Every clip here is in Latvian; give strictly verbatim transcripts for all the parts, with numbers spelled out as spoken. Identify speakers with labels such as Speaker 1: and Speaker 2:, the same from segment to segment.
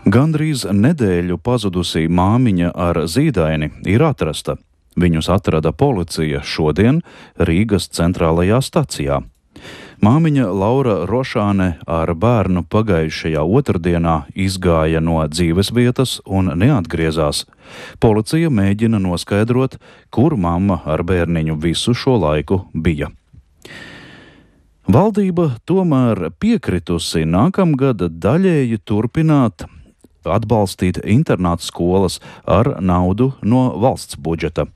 Speaker 1: Gandrīz nedēļu pazudusī māmiņa ar zīdaini ir atrasta. Viņus atrada policija šodien Rīgas centrālajā stacijā. Māmiņa Laura Rošāne ar bērnu pagājušajā otrdienā izgāja no dzīvesvietas un neatgriezās. Policija mēģina noskaidrot, kur mamma ar bērniņu visu šo laiku bija. Valdība tomēr piekritusi nākamgad daļēji turpināt atbalstīt internātu skolas ar naudu no valsts budžeta.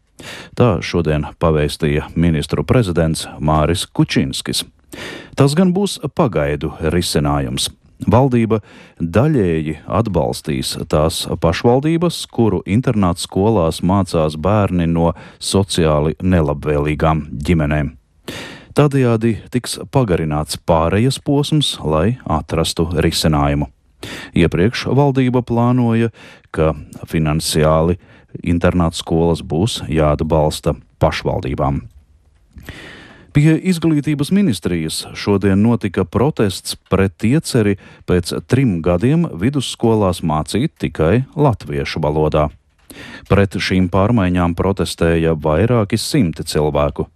Speaker 1: Tā šodien pavēstīja ministru prezidents Māris Kučinskis. Tas gan būs pagaidu risinājums. Valdība daļēji atbalstīs tās pašvaldības, kuru internātu skolās mācās bērni no sociāli nelabvēlīgām ģimenēm. Tādējādi tiks pagarināts pārejas posms, lai atrastu risinājumu. Iepriekš valdība plānoja, ka finansiāli internātu skolas būs jāatbalsta pašvaldībām. Pie Izglītības ministrijas šodien notika protests pret ieceri pēc trim gadiem vidusskolās mācīt tikai latviešu valodā. Pret šīm pārmaiņām protestēja vairāki simti cilvēku.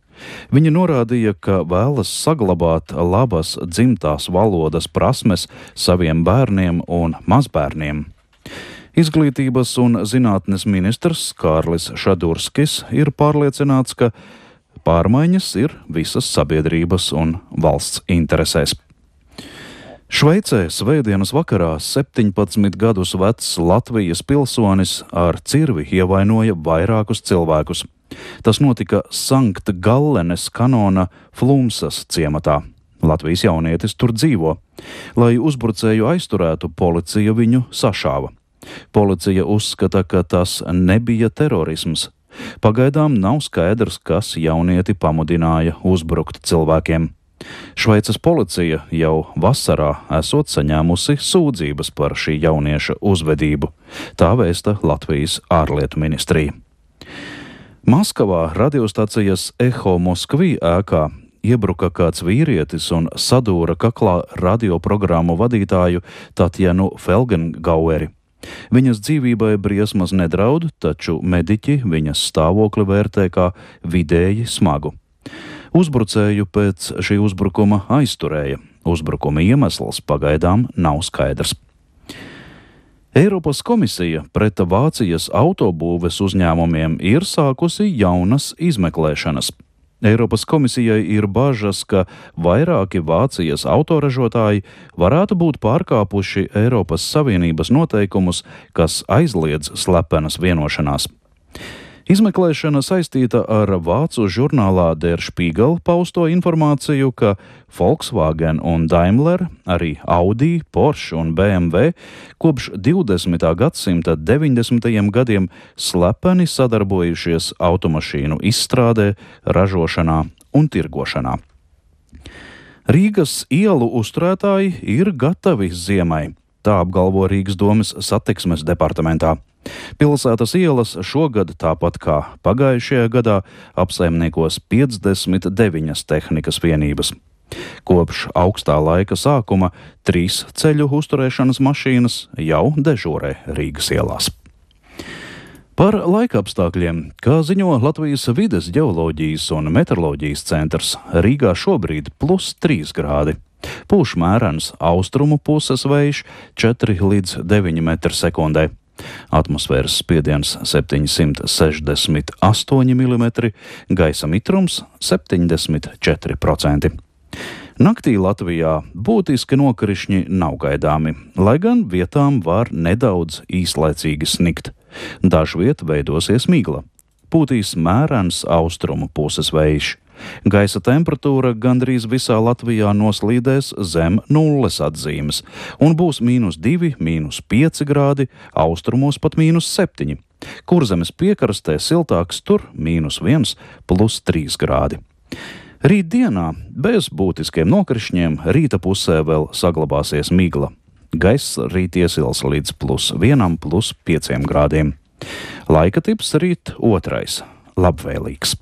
Speaker 1: Viņi norādīja, ka vēlas saglabāt labas dzimtās valodas prasmes saviem bērniem un mazbērniem. Izglītības un zinātnes ministrs Kārlis Šadurskis ir pārliecināts, ka pārmaiņas ir visas sabiedrības un valsts interesēs. Šveicē svētdienas vakarā septiņpadsmit gadus vecs Latvijas pilsonis ar cirvi ievainoja vairākus cilvēkus. Tas notika Sankt Gallenes kanona Flumsas ciematā. Latvijas jaunietis tur dzīvo. Lai uzbrucēju aizturētu, policija viņu sašāva. Policija uzskata, ka tas nebija terorisms. Pagaidām nav skaidrs, kas jaunieti pamudināja uzbrukt cilvēkiem. Šveices policija jau vasarā esot saņēmusi sūdzības par šī jaunieša uzvedību. Tā vēsta Latvijas ārlietu ministrija. Maskavā radiostacijas Eho Moskvī ēkā iebruka kāds vīrietis un sadūra kaklā radioprogrammu vadītāju Tatjanu Felgengaueri. Viņas dzīvībai briesmas nedraud, taču mediķi viņas stāvokli vērtē kā vidēji smagu. Uzbrucēju pēc šī uzbrukuma aizturēja. Uzbrukuma iemesls pagaidām nav skaidrs. Eiropas komisija pret Vācijas autobūves uzņēmumiem ir sākusi jaunas izmeklēšanas. Eiropas komisijai ir bažas, ka vairāki Vācijas autoražotāji varētu būt pārkāpuši Eiropas Savienības noteikumus, kas aizliedz slepenas vienošanās. Izmeklēšana saistīta ar vācu žurnālā Der Spiegel pausto informāciju, ka Volkswagen un Daimler, arī Audi, Porsche un B M W kopš divdesmitā gadsimta deviņdesmitajiem gadiem slepeni sadarbojušies automašīnu izstrādē, ražošanā un tirgošanā. Rīgas ielu uzturētāji ir gatavi ziemai. Tā apgalvo Rīgas domes satiksmes departamentā. Pilsētas ielas šogad, tāpat kā pagājušajā gadā, apsaimniekos piecdesmit deviņas tehnikas vienības. Kopš augstā laika sākuma trīs ceļu uzturēšanas mašīnas jau dežūrē Rīgas ielās. Par laikapstākļiem, kā ziņo Latvijas vides ģeoloģijas un meteoroloģijas centrs, Rīgā šobrīd plus trīs grādi. Pūš mērens austrumu puses vējš četri līdz deviņi metri sekundē. Atmosfēras spiediens septiņsimt sešdesmit astoņi milimetri, gaisa mitrums septiņdesmit četri procenti. Naktī Latvijā būtiski nokrišņi nav gaidāmi, lai gan vietām var nedaudz īslaicīgi snikt. Dažviet veidosies migla. Pūtīs mērens austrumu puses vējš. Gaisa temperatūra gandrīz visā Latvijā noslīdēs zem nulles atzīmes un būs mīnus divi, mīnus pieci grādi, austrumos pat mīnus septiņi. Kurzemes piekrastē siltāks, tur mīnus viens, plus trīs grādi. Rīt dienā bez būtiskiem nokrišņiem rīta pusē vēl saglabāsies migla. Gaiss rīt iesils līdz plus vienam, plus pieciem grādiem. Laika tips rīt otrais – labvēlīgs.